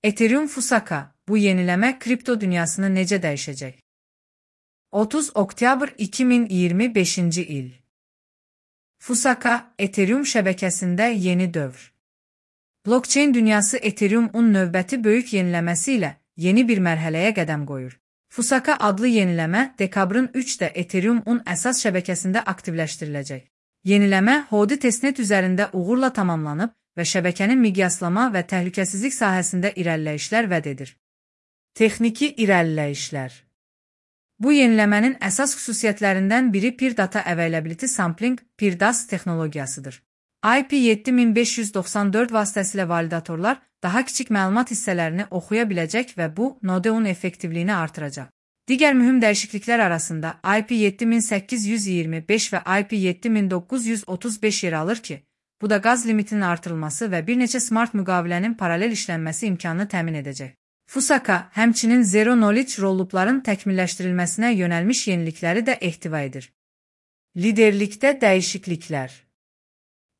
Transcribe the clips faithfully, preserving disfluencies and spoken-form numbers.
Ethereum Fusaka, bu yeniləmə kripto dünyasını necə dəyişəcək? otuz oktyabr iki min iyirmi beşinci il. Fusaka, Ethereum şəbəkəsində yeni dövr. Blockchain dünyası Ethereum-un növbəti böyük yeniləməsi ilə yeni bir mərhələyə qədəm qoyur. Fusaka adlı yeniləmə dekabrın üçdə Ethereum-un əsas şəbəkəsində aktivləşdiriləcək. Yeniləmə Hodi testnet üzərində uğurla tamamlanıb və şəbəkənin miqyaslama və təhlükəsizlik sahəsində irəliləyişlər vəd edir. Texniki irəliləyişlər. Bu yeniləmənin əsas xüsusiyyətlərindən biri Peer Data Availability Sampling (P I R D A S) texnologiyasıdır. I P yeddi min beş yüz doxsan dörd vasitəsilə validatorlar daha kiçik məlumat hissələrini oxuya biləcək və bu, nodeun effektivliyini artıracaq. Digər mühüm dəyişikliklər arasında I P yeddi min səkkiz yüz iyirmi beş və I P yeddi min doqquz yüz otuz beş yer alır ki, bu da qaz limitinin artırılması və bir neçə smart müqavilənin paralel işlənməsi imkanını təmin edəcək. Fusaka, həmçinin Zero Knowledge rollupların təkmilləşdirilməsinə yönəlmiş yenilikləri də ehtiva edir. Liderlikdə dəyişikliklər.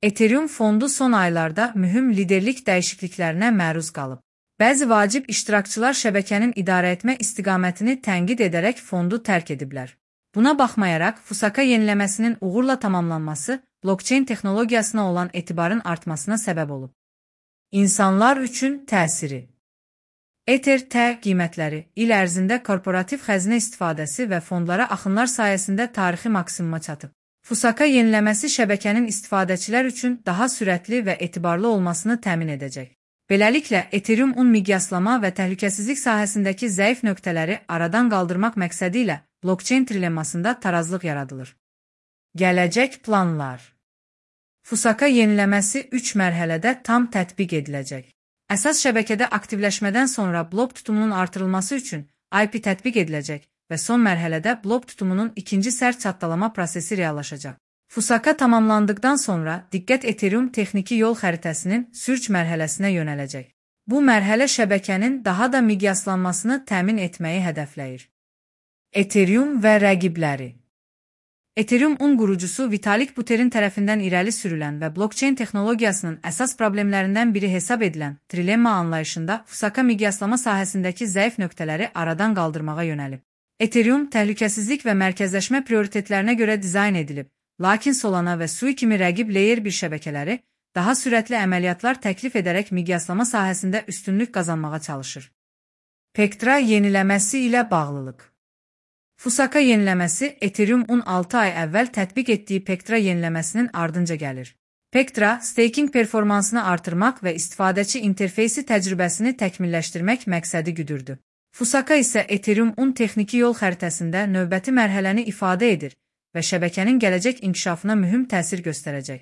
Ethereum fondu son aylarda mühüm liderlik dəyişikliklərinə məruz qalıb. Bəzi vacib iştirakçılar şəbəkənin idarə etmə istiqamətini tənqid edərək fondu tərk ediblər. Buna baxmayaraq, Fusaka yeniləməsinin uğurla tamamlanması blockchain texnologiyasına olan etibarın artmasına səbəb olub. İnsanlar üçün təsiri. Ether T qiymətləri il ərzində korporativ xəzinə istifadəsi və fondlara axınlar sayəsində tarixi maksimuma çatıb. Fusaka yeniləməsi şəbəkənin istifadəçilər üçün daha sürətli və etibarlı olmasını təmin edəcək. Beləliklə, Ethereum-un miqyaslama və təhlükəsizlik sahəsindəki zəif nöqtələri aradan qaldırmaq məqsədi ilə blockchain trilemmasında tarazlıq yaradılır. Gələcək planlar. Fusaka yeniləməsi üç mərhələdə tam tətbiq ediləcək. Əsas şəbəkədə aktivləşmədən sonra blok tutumunun artırılması üçün I P tətbiq ediləcək və son mərhələdə blok tutumunun ikinci sərt çatdalama prosesi reallaşacaq. Fusaka tamamlandıqdan sonra diqqət Ethereum texniki yol xəritəsinin sürç mərhələsinə yönələcək. Bu mərhələ şəbəkənin daha da miqyaslanmasını təmin etməyi hədəfləyir. Ethereum və rəqibləri. Ethereum-un qurucusu Vitalik Buterin tərəfindən irəli sürülən və blockchain texnologiyasının əsas problemlərindən biri hesab edilən trilemma anlayışında Fusaka miqyaslama sahəsindəki zəif nöqtələri aradan qaldırmağa yönəlib. Ethereum təhlükəsizlik və mərkəzləşmə prioritetlərinə görə dizayn edilib, lakin Solana və Sui kimi rəqib layer bir şəbəkələri daha sürətli əməliyyatlar təklif edərək miqyaslama sahəsində üstünlük qazanmağa çalışır. Pectra yeniləməsi ilə bağlılıq. Fusaka yeniləməsi Ethereum-un altı ay əvvəl tətbiq etdiyi Pectra yeniləməsinin ardınca gəlir. Pectra, staking performansını artırmaq və istifadəçi interfeysi təcrübəsini təkmilləşdirmək məqsədi güdürdü. Fusaka isə Ethereum-un texniki yol xəritəsində növbəti mərhələni ifadə edir və şəbəkənin gələcək inkişafına mühüm təsir göstərəcək.